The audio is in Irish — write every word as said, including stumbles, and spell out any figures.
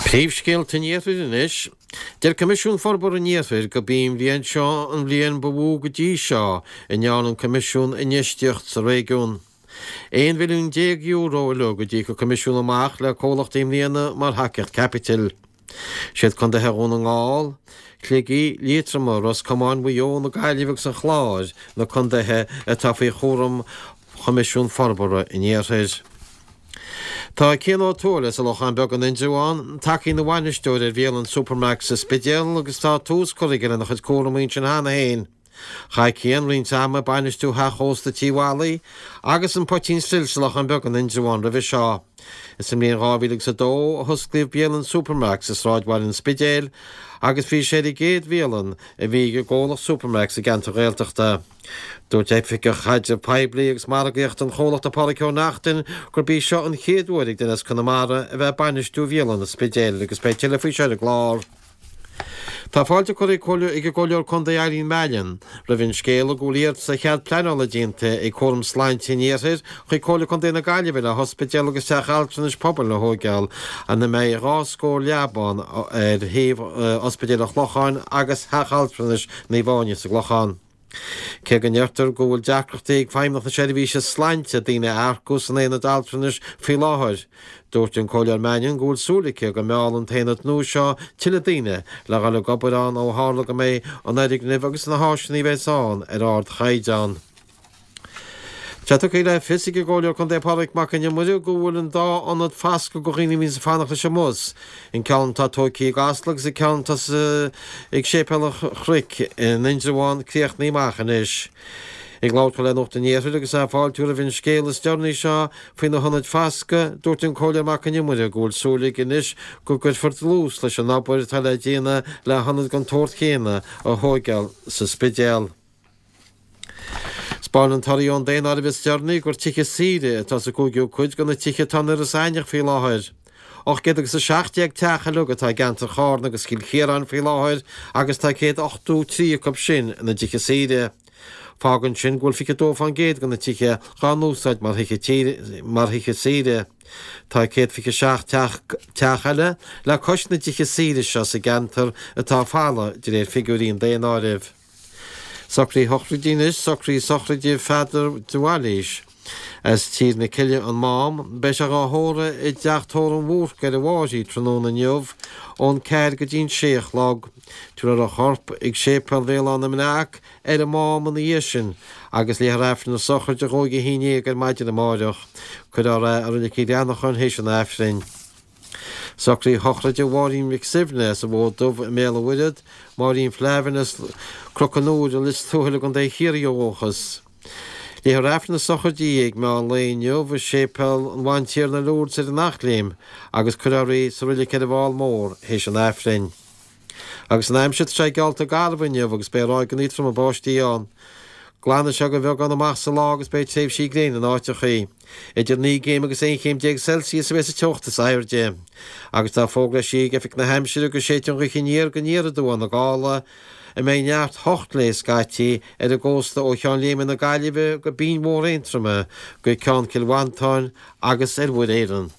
Príomhscéalta an Iarthair anois. Deir Coimisiún Forbartha an Iarthair gurb í an bhliain seo an bhliain ba mhó go dtí seo a ndearna an Coimisiún infheistíocht sa réigiún. Aon mhilliún déag euro uilig a d'íoc an Coimisiún amach le comhlachtaí i mbliana mar thacaíocht caipitil. Siad contaetha Dhún na nGall, Shligigh, Liatroma, Ros Comáin, Mhaigh Eo, na Gaillimhe agus an Chláir na contaetha atá faoi chúram Choimisiún Forbartha an Iarthair. Tá Cian Ó Tuathail as an Lochán Beag in Indreabhán tagtha ina bhainisteoir ar bhialann Supermacs sa Spidéal agus tá tús curtha aige lena chuid cúraimí ansin cheana féin. Chaith Cian roinnt ama ag bainistiú theach ósta Tí Mholly agus an Poitín Stil sa Lochán Beag in Indreabhán roimhe seo. Is sa mbliain dhá mhíle agus a dó a hosclaíodh bialann Supermacs i sráidbhaile an Spidéil agus bhí sé ar an gcéad bhialann a bhí ag an gcomhlacht Supermacs i gceantar Ghaeltachta. Dúirt Oifigeach Caidrimh Poiblí agus Margaíochta an chomhlachta Pádraig Ó Neachtain gurb í seo an chéad uair ag duine as Conamara a bheith ag bainistiú bhialann an Spidéil agus beidh tuilleadh faoi seo ar an gclár. Tá fáilte curtha ag an gComhairleoir Contae Eileen Mannion roimh an scéala go bhfuil iarratas ar chead pleanála déanta ag Cúram Sláinte an Iarthair chuig Comhairle Contae na Gaillimhe le hospidéal agus teach altranais pobail a thóigeáil ina mbeidh dhá scór leaba ann ar thaobh Ospidéal an Chlocháin agus Theach Altranais Naomh Áine sa gClochán. Cé go ndeirtear go bhfuil deacrachtaí ag Feidhmeannacht na Seirbhíse Sláinte daoine a earcú san aonad altranais faoi láthair, dúirt an Comhairleoir Mannion go bhfuil súil aici go meallfaidh an t-aonad nua seo tuilleadh daoine le dhul ag obair ann ó tharla go mbeidh an fhoirgneamh agus na háiseanna a bheas ann ar ardchaighdeán. Tá tugtha le fios ag an gComhairleoir Contae Pádraig Mac Con Iomaire go bhfuil an dá ionad fasctha do dhaoine a bhíonns ag fanacht leis an mbus, an ceann atá tógtha i gCasla agus an ceann atá ag Séipéal an Chnoic in Indreabhán críochnaithe amach anois. Ag labhairt dó le Nuacht an Iarthair agus é ag fáiltiú roimh an scéala is deireanaí seo faoi na hionaid fasctha, dúirt an Comhairleoir Mac Con Iomaire go bhfuil súil aige anois go gcuirfear dlús leis an obair atá le déanamh le hionad den tsórt chéanna a thóigeáil sa Spidéal. 'Spáineann torthaí ón daonáireamh is deireanaí gur tithe saoire atá sa gcúigiú cuid de na tithe atá in Iorras Aithneach faoi láthair. Ocht gcéad agus a seacht déag teach uilig atá i gceantar Charna agus Chill Chiaráin faoi láthair agus tá céad ochtó trí acu sin ina dtithe saoire. Fágann sin go bhfuil fiche dó fán gcéad de na tithe dhá n-úsáid mar thithe saoire. Tá céad fiche seacht teach eile le cois na dtithe saoire seo sa gceantar atá folamh de réir figiúirí an daonáirimh. Socruithe sochraide anois, socruithe sochraide Pheadair de Bhailís as Tír na Cille an Mám. Beidh sé dhá thórramh i dteach tórraimh an Bhúrc ar an bhFáirche tráthnóna inniu ón ceathair go dtí an sé a chlog. Tabharfar a chorp ag Séipéal Bhéal Átha na mBreac ar an Mám ina dhiaidh sin agus léifear Aifreann na sochraide dhó ag a haon déag ar maidin amáireach. Cuirfear é i Reilig Chill Bhreathnacháin théis an Aifrinn. Socruithe sochraide Mháirín Mhic Suibhne as an bhFód Dubh i mBéal an Mhuirthead, Máirín Flavin as Cnoc an Iúir i Lios Tuathail i gContae Chiarraí ó dhúchas. Léifear Aifreann na sochraide di ag meán lae inniu i Séipéal an Bhantiarna Lourdes ar an Eachléim agus cuirfear í sa reilig ar an bhFál Mór théis an Aifrinn. Agus an aimsir, tá sé geallta garbh inniu agus beidh ráigeanna troma báistí ann. Glanfaidh sé de bheagán amach sa lá agus beidh tréimhsí gréine in áiteachaí. Idir naoi gcéim agus aon chéim déag Celsius a bheidh sa teocht is airde. Agus tá fógra eisithe ag Oifig na hAimsire go séidfidh an ghaoth aniar go aniar aduaidh na gála, a mbeidh neart hocht léi scaití, ar an gcósta ó Cheann Léime na Gaillimhe go Binn Mhór Aontroma go Ceann Cill Mhantáin agus ar Mhuir Éireann.